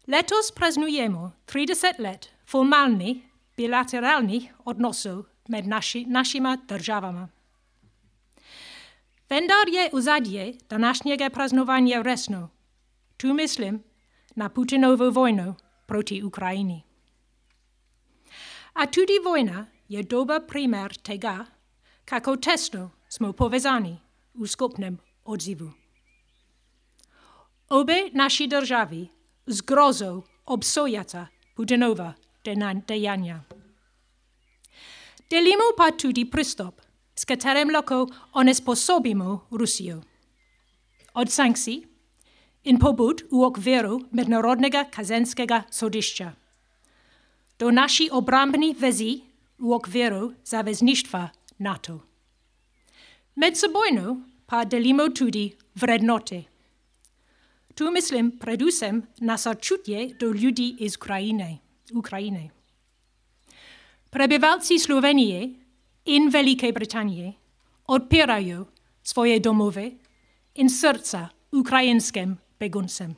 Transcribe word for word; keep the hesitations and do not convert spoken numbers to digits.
Letos praznujemy trzydzieści lat formalnie, bilateralnie odnosów med naši, našima državama. Vendar je uzadje današnjega praznovanja resno. Tu mislim na Putinovu vojnu proti Ukrajini. A tudi vojna je dober primer tega, kako tesno smo povezani v skupnem odzivu. Obe naši državi z grozou obsojata Putinova dejanja. Delimo pa tudi pristop, s katerim lahko onesposobimo Rusijo. Od sankcij in pobud v okviru Mednarodnega kazenskega sodišča do naši obrambni vezi v okviru zavezništva NATO. Medsebojno pa delimo tudi vrednote. Tu mislim predvsem na sočutje do ljudi iz Ukrajine. Ukrajine. Prebivalci Slovenije in Velike Britanije odpirajo svoje domove in srca ukrajinskim beguncem.